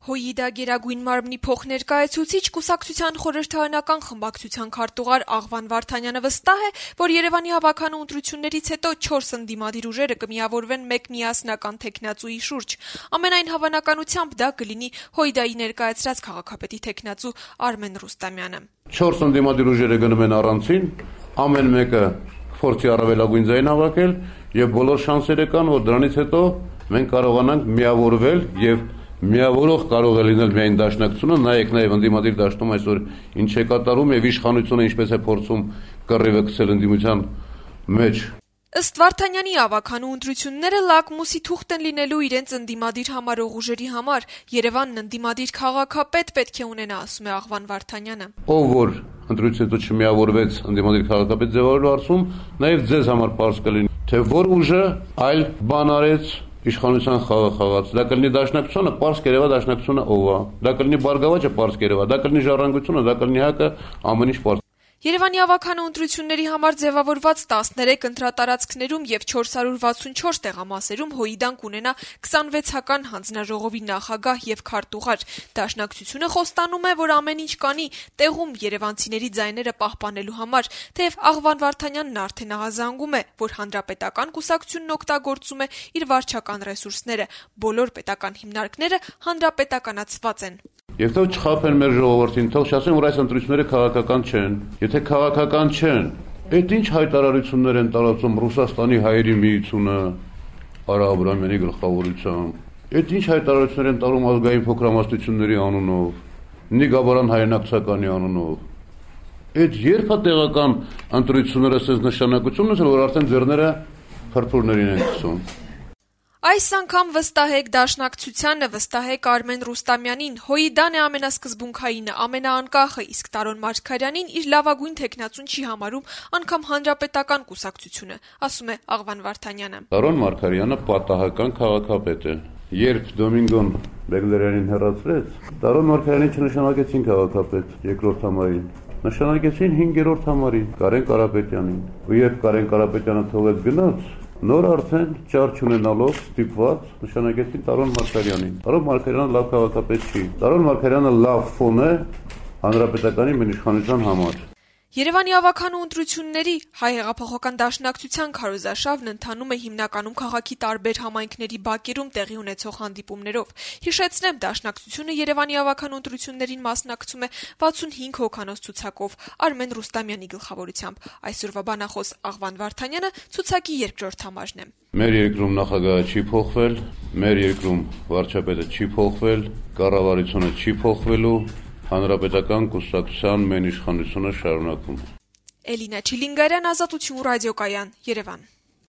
ՀՅԴ Գերագույն մարմնի փոխներկայացուցիչ կուսակցության խորհրդարանական խմբակցության քարտուղար Աղվան Վարդանյանը վստահ է, որ Երևանի հավաքանու ընտրություններից հետո 4 ընդդիմադիր ուժերը կմիավորվեն մեկ միասնական թեկնածուի շուրջ։ Ամենայն հավանականությամբ դա կլինի ՀՅԴ-ի ներկայացրած քաղաքապետի թեկնածու Արմեն Ռուստամյանը։ 4 ընդդիմադիր ուժերը գնում են առանցին, ամեն մեկը փորձի առավելագույն ձայն հավաքել եւ բոլոր շանսերը կան, որ դրանից հետո մենք կարողանանք միավորվել եւ միավորող կարող է լինել միայն դաշնակցությունը, նայեք նաև ընդդիմադիր դաշտում այսօր ինչ է կատարում եւ իշխանությունը ինչպես է փորձում կռիվը գցել ընդդիմության մեջ։ Ըստ Վարդանյանի հավաքանու ընտրությունները լակմուսի թուղթ են լինելու իրենց ընդդիմադիր համարող ուժերի համար։ Երևանն ընդդիմադիր քաղաքապետ պետք է ունենա, ասում է Աղվան Վարդանյանը։ Ով որ ընտրությունից հետո չմիավորվեց ընդդիմադիր քաղաքապետ ձևավորելու հարցում, նաև ձեզ համար պարզ կլինի, թե որ ուժը այլ բան արեց իշխանության խաղը խաղաց։ Դա կլինի դաշնակցությունը, պարզ կերևա դաշնակցությունը ով է։ Դա կլինի Բարգավաճը, պարզ կերևա, դա կլինի Ժառանգությունը, դա կլինի ՀԱԿ-ը, ամեն ինչ պարզ։ Երևանի հավաքանու ընտրությունների համար ձևավորված 13 ընտրատարածքներում եւ 464 տեղամասերում ՀՅԴ-ն կունենա 26-ական հանձնաժողովի նախագահ եւ քարտուղար։ Դաշնակցությունը խոստանում է, որ ամեն ինչ կանի տեղում երևանցիների ձայները պահպանելու համար, թեև Աղվան Վարդանյանն արդեն ահազանգում է, որ հանրապետական կուսակցությունն օգտագործում է իր վարչական ռեսուրսները, բոլոր պետական հիմնարկները հանրապետականացված են։ Եվ թող չխաբեն մեր ժողովրդին, թող չասեն, որ այս ընտրությունները քաղաքական չեն։ Եթե քաղաքական չեն, այդ ինչ հայտարարություններ են տարածում Ռուսաստանի հայերի միությունը Արա Աբրամյանի գլխավորությամբ։ Այդ ինչ հայտարարություններ են տարում ազգային փոքրամասնությունների անունով, Նիգաբարան հայրենակցականի անունով։ Այդ երբ է տեղական ընտրությունները ասես նշանակություն ունեցել, որ արդեն ձեռները փրփուրներին են գցում։ Այս անգամ վստահեք դաշնակցությանը, վստահեք Արմեն Ռուստամյանին, ՀՅԴ-ն է ամենասկզբունքայինը, ամենաանկախը, իսկ Տարոն Մարգարյանին իր լավագույն թեկնածուն չի համարում անգամ հանրապետական կուսակցությունը, ասում է Աղվան Վարդանյանը։ Տարոն Մարգարյանը պատահական քաղաքապետ է։ Երբ Դոմինգոն Բեգլերյանին հեռացրեց, Տարոն Մարգարյանին չնշանակեցին քաղաքապետ երկրորդ համարին, նշանակեցին 5-րդ համարին Կարեն Կարապետյանին։ Ու երբ Կարեն Կարապետյանը թողեց գնաց, նոր արդեն ճար չունենալով ստիպված նշանակեցին Տարոն Մարգարյանին։ Տարոն Մարգարյանը լավ քաղաքապետ չի։ Տարոն Մարգարյանը լավ ֆոն է հանրապետականի մեր իշխանության համար։ Երևանի հավաքանու ընտրությունների Հայ հեղափոխական դաշնակցության քարոզարշավն ընթանում է հիմնականում քաղաքի տարբեր համայնքների բակերում տեղի ունեցող հանդիպումներով։ Հիշեցնեմ, դաշնակցությունը Երևանի հավաքանու ընտրություններին մասնակցում է 65 հոգանոց ցուցակով Արմեն Ռուստամյանի գլխավորությամբ։ Այսօրվա բանախոս Աղվան Վարդանյանը ցուցակի երկրորդ համարն է։ Մեր երկրում նախագահը չի փոխվել, մեր երկրում վարչապետը չի փոխվել, կառավարությունը չի փոխվելու, հանրապետական կուսակցության մեն իշխանությունը շարունակում։ Էլինա Չիլինգարյան, Ազատություն ռադիոկայան, Երևան։